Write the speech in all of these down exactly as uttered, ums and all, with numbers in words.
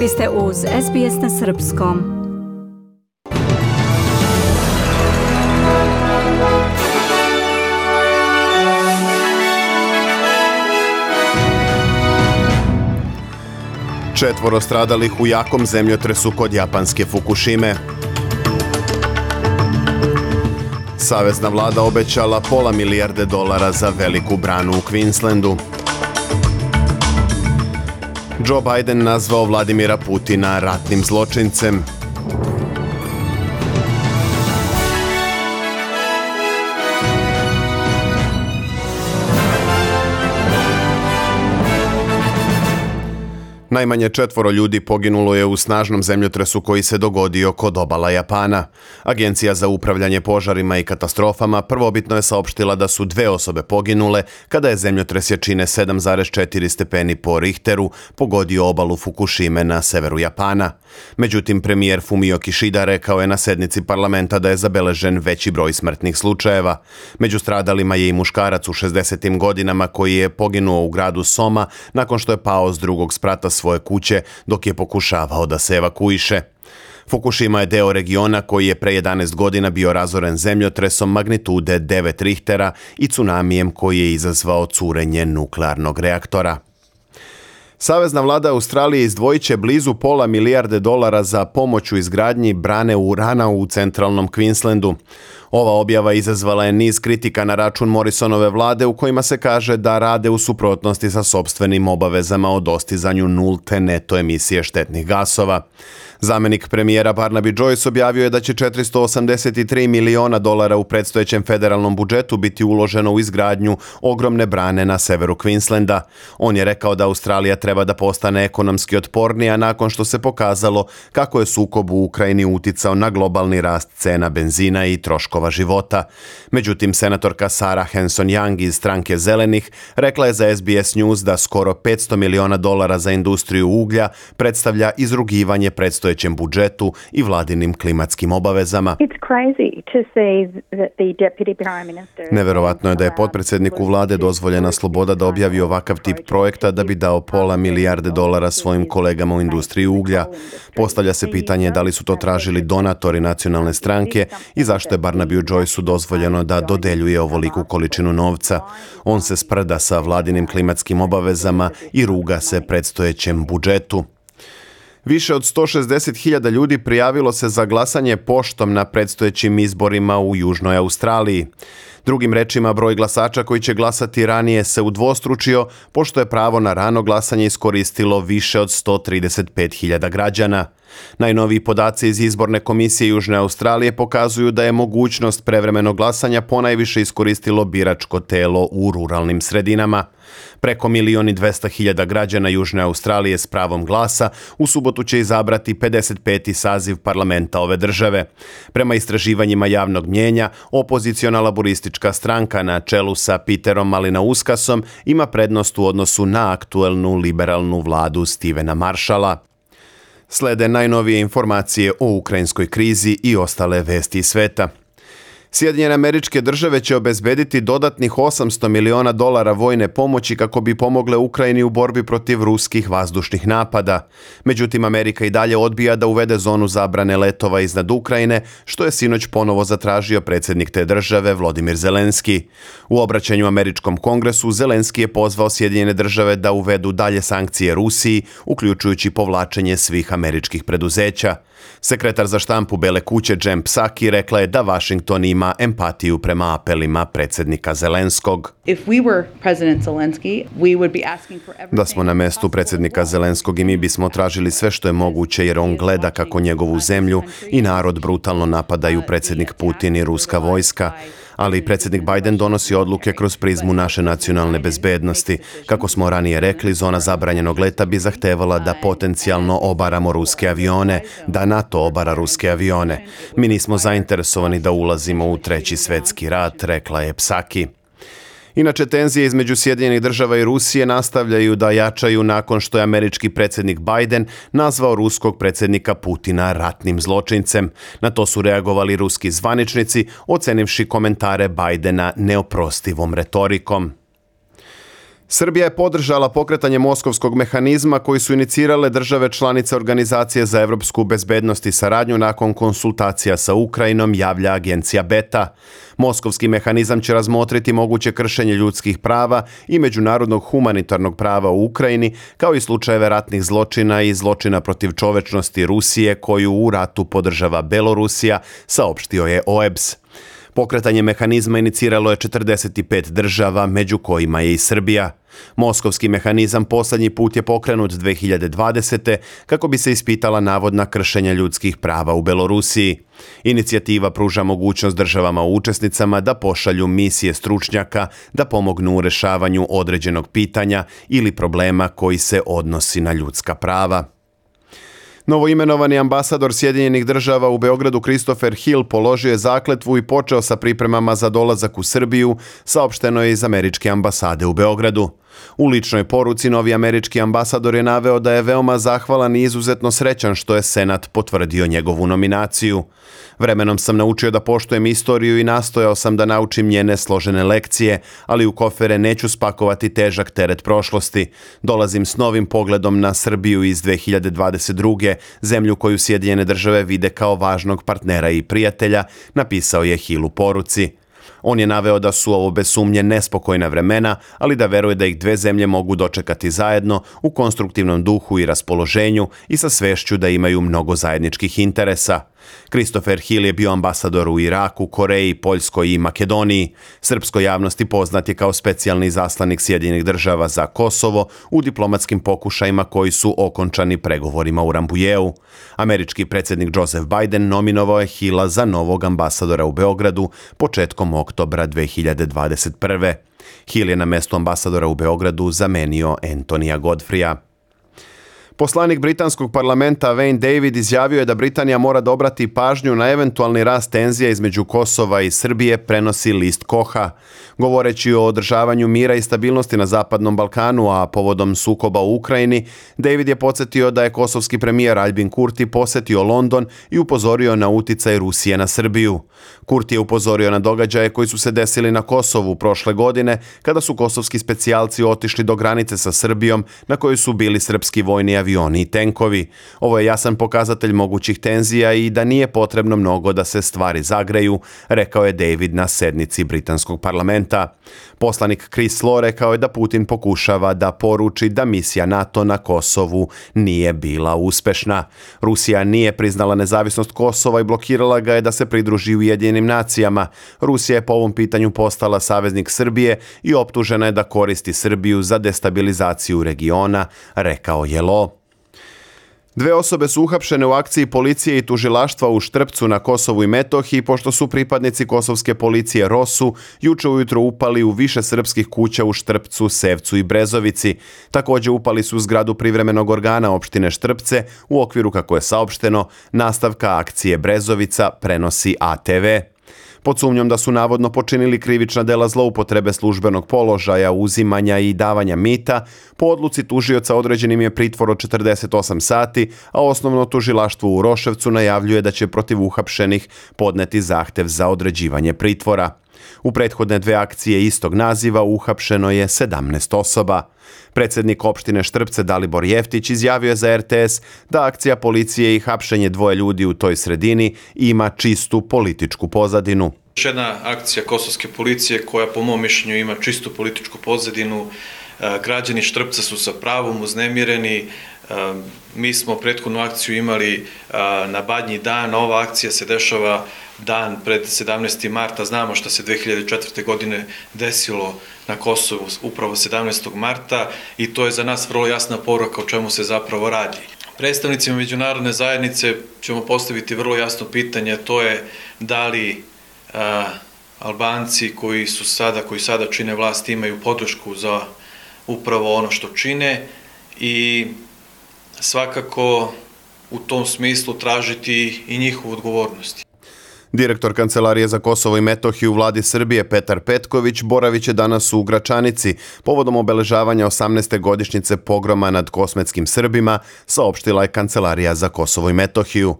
Vi ste uz S B S na srpskom. Četvoro stradalih u jakom zemljotresu kod japanske Fukushime. Savezna vlada obećala pola milijarde dolara za veliku branu u Queenslandu. Joe Biden nazvao Vladimira Putina ratnim zločincem. Najmanje četvoro ljudi poginulo je u snažnom zemljotresu koji se dogodio kod obala Japana. Agencija za upravljanje požarima i katastrofama prvobitno je saopštila da su dve osobe poginule kada je zemljotres jačine sedam zarez četiri stepeni po Richteru pogodio obalu Fukushime na severu Japana. Međutim, premijer Fumio Kishida rekao je na sednici parlamenta da je zabeležen veći broj smrtnih slučajeva. Među stradalima je i muškarac u šezdesetim godinama koji je poginuo u gradu Soma nakon što je pao s drugog sprata svoje kuće dok je pokušavao da se evakuiše. Fukushima je deo regiona koji je pre jedanaest godina bio razoren zemljotresom magnitude devet Richtera i tsunamijem koji je izazvao curenje nuklearnog reaktora. Savezna vlada Australije izdvojit će blizu pola milijarde dolara za pomoć u izgradnji brane urana u centralnom Queenslandu. Ova objava izazvala je niz kritika na račun Morrisonove vlade u kojima se kaže da rade u suprotnosti sa sopstvenim obavezama o dostizanju nulte neto emisije štetnih gasova. Zamenik premijera Barnaby Joyce objavio je da će četiristo osamdeset tri miliona dolara u predstojećem federalnom budžetu biti uloženo u izgradnju ogromne brane na severu Queenslanda. On je rekao da Australija treba da postane ekonomski otpornija nakon što se pokazalo kako je sukob u Ukrajini uticao na globalni rast cena benzina i troškova života. Međutim, senatorka Sarah Hanson-Young iz stranke Zelenih rekla je za S B S News da skoro petsto miliona dolara za industriju uglja predstavlja izrugivanje predstojećem budžetu i vladinim klimatskim obavezama. Neverovatno je da je potpredsjedniku vlade dozvoljena sloboda da objavi ovakav tip projekta da bi dao pola milijarde dolara svojim kolegama u industriji uglja. Postavlja se pitanje da li su to tražili donatori nacionalne stranke i zašto je Barnabyu Joyceu dozvoljeno da dodeljuje ovoliku količinu novca. On se sprda sa vladinim klimatskim obavezama i ruga se predstojećem budžetu. Više od sto šezdeset hiljada ljudi prijavilo se za glasanje poštom na predstojećim izborima u Južnoj Australiji. Drugim rečima, broj glasača koji će glasati ranije se udvostručio, pošto je pravo na rano glasanje iskoristilo više od sto trideset pet hiljada građana. Najnoviji podaci iz izborne komisije Južne Australije pokazuju da je mogućnost prevremenog glasanja ponajviše iskoristilo biračko telo u ruralnim sredinama. Preko milion i dvesta hiljada građana Južne Australije s pravom glasa u subotu će izabrati pedeset peti saziv parlamenta ove države. Prema istraživanjima javnog mnjenja, opoziciona laboristička stranka na čelu sa Peterom Malinauskasom ima prednost u odnosu na aktuelnu liberalnu vladu Stevena Marshalla. Slede najnovije informacije o ukrajinskoj krizi i ostale vesti iz sveta. Sjedinjene Američke Države će obezbediti dodatnih osamsto miliona dolara vojne pomoći kako bi pomogle Ukrajini u borbi protiv ruskih vazdušnih napada. Međutim, Amerika i dalje odbija da uvede zonu zabrane letova iznad Ukrajine, što je sinoć ponovo zatražio predsjednik te države Volodymyr Zelenski. U obraćanju Američkom kongresu Zelenski je pozvao Sjedinjene Države da uvedu dalje sankcije Rusiji, uključujući povlačenje svih američkih preduzeća. Sekretar za štampu Bele kuće Jen Psaki rekla je da Washington ima empatiju prema apelima predsjednika Zelenskog. Da smo na mestu predsjednika Zelenskog i mi bismo tražili sve što je moguće jer on gleda kako njegovu zemlju i narod brutalno napadaju predsjednik Putin i ruska vojska. Ali predsjednik Biden donosi odluke kroz prizmu naše nacionalne bezbednosti. Kako smo ranije rekli, zona zabranjenog leta bi zahtevala da potencijalno obaramo ruske avione, da NATO obara ruske avione. Mi nismo zainteresovani da ulazimo u treći svjetski rat, rekla je Psaki. Inače, tenzije između Sjedinjenih Država i Rusije nastavljaju da jačaju nakon što je američki predsjednik Biden nazvao ruskog predsjednika Putina ratnim zločincem. Na to su reagovali ruski zvaničnici, ocenivši komentare Bidena neoprostivom retorikom. Srbija je podržala pokretanje Moskovskog mehanizma koji su inicirale države članice Organizacije za evropsku bezbednost i saradnju nakon konsultacija sa Ukrajinom, javlja agencija Beta. Moskovski mehanizam će razmotriti moguće kršenje ljudskih prava i međunarodnog humanitarnog prava u Ukrajini, kao i slučajeve ratnih zločina i zločina protiv čovečnosti Rusije koju u ratu podržava Belorusija, saopštio je O E B S. Pokretanje mehanizma iniciralo je četrdeset pet država, među kojima je i Srbija. Moskovski mehanizam posljednji put je pokrenut dve hiljade dvadesete. kako bi se ispitala navodna kršenja ljudskih prava u Belorusiji. Inicijativa pruža mogućnost državama učesnicama da pošalju misije stručnjaka da pomognu u rešavanju određenog pitanja ili problema koji se odnosi na ljudska prava. Novoimenovani ambasador Sjedinjenih država u Beogradu Christopher Hill položio je zakletvu i počeo sa pripremama za dolazak u Srbiju, saopšteno je iz američke ambasade u Beogradu. U ličnoj poruci novi američki ambasador je naveo da je veoma zahvalan i izuzetno srećan što je Senat potvrdio njegovu nominaciju. Vremenom sam naučio da poštujem istoriju i nastojao sam da naučim njene složene lekcije, ali u kofere neću spakovati težak teret prošlosti. Dolazim s novim pogledom na Srbiju iz dve hiljade dvadeset druge. zemlju koju Sjedinjene države vide kao važnog partnera i prijatelja, napisao je Hill u poruci. On je naveo da su ovo bez sumnje nespokojna vremena, ali da veruje da ih dve zemlje mogu dočekati zajedno u konstruktivnom duhu i raspoloženju i sa svešću da imaju mnogo zajedničkih interesa. Christopher Hill je bio ambasador u Iraku, Koreji, Poljskoj i Makedoniji. Srpskoj javnosti poznat je kao specijalni izaslanik Sjedinjenih država za Kosovo u diplomatskim pokušajima koji su okončani pregovorima u Rambujeu. Američki predsjednik Joseph Biden nominovao je Hilla za novog ambasadora u Beogradu početkom oktobra dve hiljade dvadeset prve. Hill je na mestu ambasadora u Beogradu zamenio Antonija Godfreya. Poslanik britanskog parlamenta Wayne David izjavio je da Britanija mora da obrati pažnju na eventualni rast tenzija između Kosova i Srbije, prenosi list Koha. Govoreći o održavanju mira i stabilnosti na Zapadnom Balkanu, a povodom sukoba u Ukrajini, David je podsjetio da je kosovski premijer Albin Kurti posetio London i upozorio na uticaj Rusije na Srbiju. Kurti je upozorio na događaje koji su se desili na Kosovu prošle godine, kada su kosovski specijalci otišli do granice sa Srbijom, na kojoj su bili srpski vojni avioni i tenkovi. Ovo je jasan pokazatelj mogućih tenzija i da nije potrebno mnogo da se stvari zagreju, rekao je David na sednici britanskog parlamenta. Poslanik Chris Law rekao je da Putin pokušava da poruči da misija NATO na Kosovu nije bila uspešna. Rusija nije priznala nezavisnost Kosova i blokirala ga je da se pridruži Ujedinjenim nacijama. Rusija je po ovom pitanju postala saveznik Srbije i optužena je da koristi Srbiju za destabilizaciju regiona, rekao je Law. Dve osobe su uhapšene u akciji policije i tužilaštva u Štrpcu na Kosovu i Metohiji, pošto su pripadnici kosovske policije Rosu juče ujutro upali u više srpskih kuća u Štrpcu, Sevcu i Brezovici. Također upali su u zgradu privremenog organa opštine Štrpce u okviru, kako je saopšteno, nastavka akcije Brezovica, prenosi A T V. Pod sumnjom da su navodno počinili krivična dela zloupotrebe službenog položaja, uzimanja i davanja mita, po odluci tužioca određenim je pritvor od četrdeset osam sati, a osnovno tužilaštvo u Roševcu najavljuje da će protiv uhapšenih podneti zahtev za određivanje pritvora. U prethodne dve akcije istog naziva uhapšeno je sedamnaest osoba. Predsjednik opštine Štrpce Dalibor Jeftić izjavio je za R T S da akcija policije i hapšenje dvoje ljudi u toj sredini ima čistu političku pozadinu. Još jedna akcija kosovske policije koja po mom mišljenju ima čistu političku pozadinu. Građani Štrpca su sa pravom uznemireni. Mi smo prethodnu akciju imali na Badnji dan, ova akcija se dešava dan pred sedamnaestog marta. Znamo što se dve hiljade četvrte. godine desilo na Kosovu upravo sedamnaestog marta i to je za nas vrlo jasna poruka o čemu se zapravo radi. Predstavnicima međunarodne zajednice ćemo postaviti vrlo jasno pitanje, to je da li a, Albanci koji su sada, koji sada čine vlast imaju podršku za upravo ono što čine i svakako u tom smislu tražiti i njihovu odgovornost. Direktor Kancelarije za Kosovo i Metohiju u vladi Srbije Petar Petković boravit će danas u Gračanici povodom obeležavanja osamnaeste godišnjice pogroma nad kosmetskim Srbima, saopštila je Kancelarija za Kosovo i Metohiju.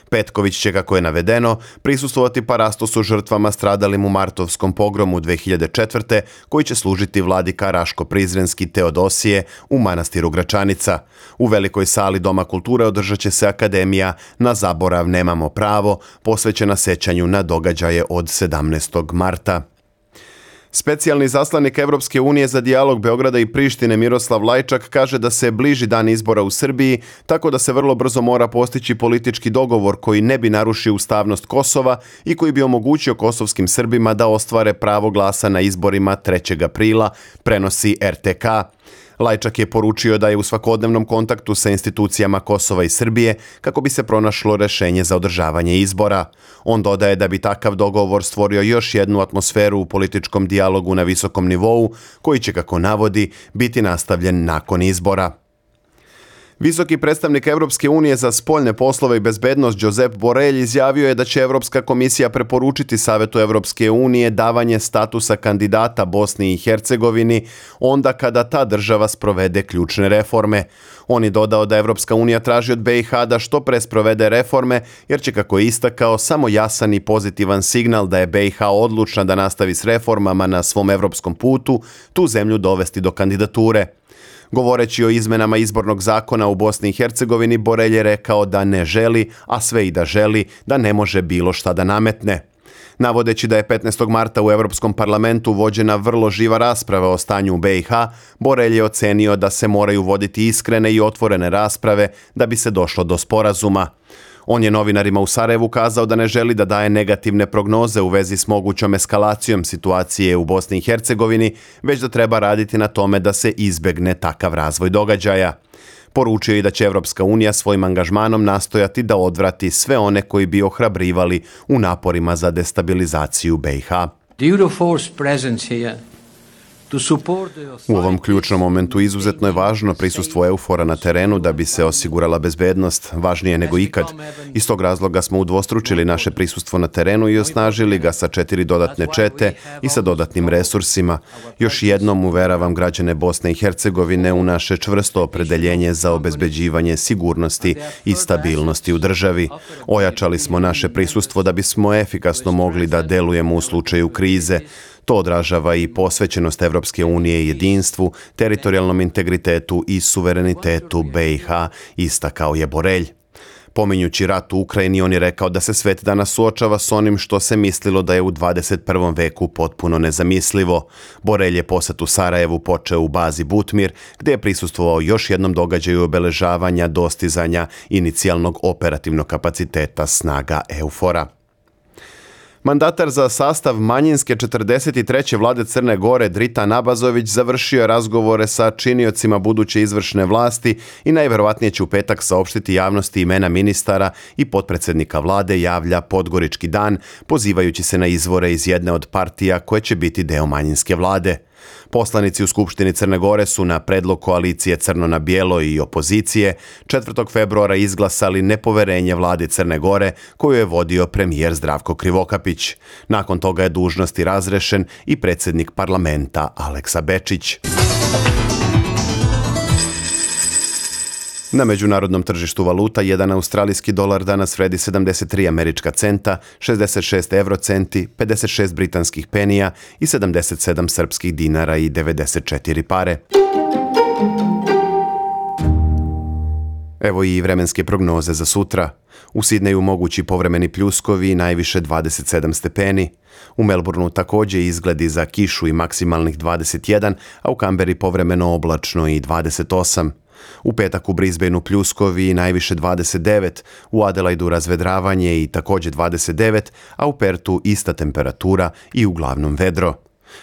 Petković će, kako je navedeno, prisustvovati parastosu žrtvama stradalim u martovskom pogromu dve hiljade četvrte. koji će služiti vladika Raško-Prizrenski Teodosije u manastiru Gračanica. U velikoj sali Doma kulture održat će se akademija Na zaborav nemamo pravo, posvećena sećanju na događaje od sedamnaestog marta. Specijalni zaslanik Evropske unije za dijalog Beograda i Prištine Miroslav Lajčak kaže da se bliži dan izbora u Srbiji, tako da se vrlo brzo mora postići politički dogovor koji ne bi narušio ustavnost Kosova i koji bi omogućio kosovskim Srbima da ostvare pravo glasa na izborima trećeg aprila, prenosi er te ka. Lajčak je poručio da je u svakodnevnom kontaktu sa institucijama Kosova i Srbije kako bi se pronašlo rešenje za održavanje izbora. On dodaje da bi takav dogovor stvorio još jednu atmosferu u političkom dijalogu na visokom nivou, koji će, kako navodi, biti nastavljen nakon izbora. Visoki predstavnik Evropske unije za spoljne poslove i bezbednost Josep Borrell izjavio je da će Evropska komisija preporučiti Savetu Evropske unije davanje statusa kandidata Bosni i Hercegovini onda kada ta država sprovede ključne reforme. On je dodao da Evropska unija traži od be i ha da što pre sprovede reforme, jer će, kako je istakao, samo jasan i pozitivan signal da je be i ha odlučna da nastavi s reformama na svom evropskom putu, tu zemlju dovesti do kandidature. Govoreći o izmenama izbornog zakona u Bosni i Hercegovini, Borrell je rekao da ne želi, a sve i da želi, da ne može bilo šta da nametne. Navodeći da je petnaestog marta u Evropskom parlamentu vođena vrlo živa rasprava o stanju u be i ha, Borrell je ocenio da se moraju voditi iskrene i otvorene rasprave da bi se došlo do sporazuma. On je novinarima u Sarajevu kazao da ne želi da daje negativne prognoze u vezi s mogućom eskalacijom situacije u Bosni i Hercegovini, već da treba raditi na tome da se izbegne takav razvoj događaja. Poručio je da će Evropska unija svojim angažmanom nastojati da odvrati sve one koji bi ohrabrivali u naporima za destabilizaciju be i ha. U ovom ključnom momentu izuzetno je važno prisustvo EUFOR-a na terenu da bi se osigurala bezbednost, važnije nego ikad. Iz tog razloga smo udvostručili naše prisustvo na terenu i osnažili ga sa četiri dodatne čete i sa dodatnim resursima. Još jednom uveravam građane Bosne i Hercegovine u naše čvrsto opredeljenje za obezbeđivanje sigurnosti i stabilnosti u državi. Ojačali smo naše prisustvo da bismo efikasno mogli da delujemo u slučaju krize. To odražava i posvećenost Evropske unije jedinstvu, teritorijalnom integritetu i suverenitetu be i ha, istakao je Borrell. Pominjući rat u Ukrajini, on je rekao da se svet danas suočava s onim što se mislilo da je u dvadeset prvom veku potpuno nezamislivo. Borrell je posjet u Sarajevu počeo u bazi Butmir, gdje je prisustvovao još jednom događaju obeležavanja dostizanja inicijalnog operativnog kapaciteta snaga EUFOR-a. Mandatar za sastav manjinske četrdeset treće vlade Crne Gore Dritan Abazović završio je razgovore sa činiocima buduće izvršne vlasti i najverovatnije će u petak saopštiti javnosti imena ministara i potpredsjednika vlade, javlja Podgorički dan, pozivajući se na izvore iz jedne od partija koje će biti deo manjinske vlade. Poslanici u Skupštini Crne Gore su na predlog koalicije Crno na bijelo i opozicije četvrtog februara izglasali nepoverenje vladi Crne Gore koju je vodio premijer Zdravko Krivokapić. Nakon toga je dužnosti razrešen i predsjednik parlamenta Aleksa Bečić. Na međunarodnom tržištu valuta jedan australijski dolar danas vredi sedamdeset tri američka centa, šezdeset šest evrocenti, pedeset šest britanskih penija i sedamdeset sedam srpskih dinara i devedeset četiri pare. Evo i vremenske prognoze za sutra. U Sidneju mogući povremeni pljuskovi, najviše dvadeset sedam stepeni. U Melbourneu također izgledi za kišu i maksimalnih dvadeset jedan, a u Kamberi povremeno oblačno i dvadeset osam. U petak u Brisbaneu pljuskovi najviše dvadeset devet, u Adelaidu razvedravanje i također dvadeset devet, a u Pertu ista temperatura i uglavnom vedro.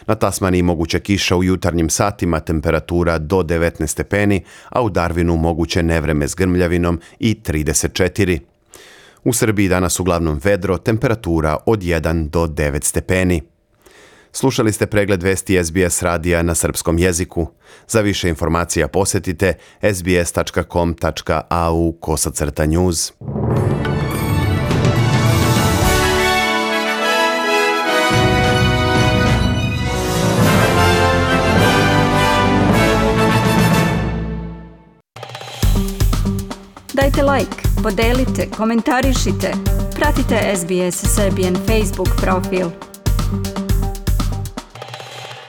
Na Tasmaniji moguća kiša u jutarnjim satima, temperatura do devetnaest stepeni, a u Darwinu moguće nevreme s grmljavinom i trideset četiri. U Srbiji danas uglavnom vedro, temperatura od jedan do devet stepeni. Slušali ste pregled vesti es be es radija na srpskom jeziku. Za više informacija posjetite es be es tačka com tačka a u kosacrta news. Dajte like, podelite, komentarišite. Pratite S B S Serbian Facebook profil.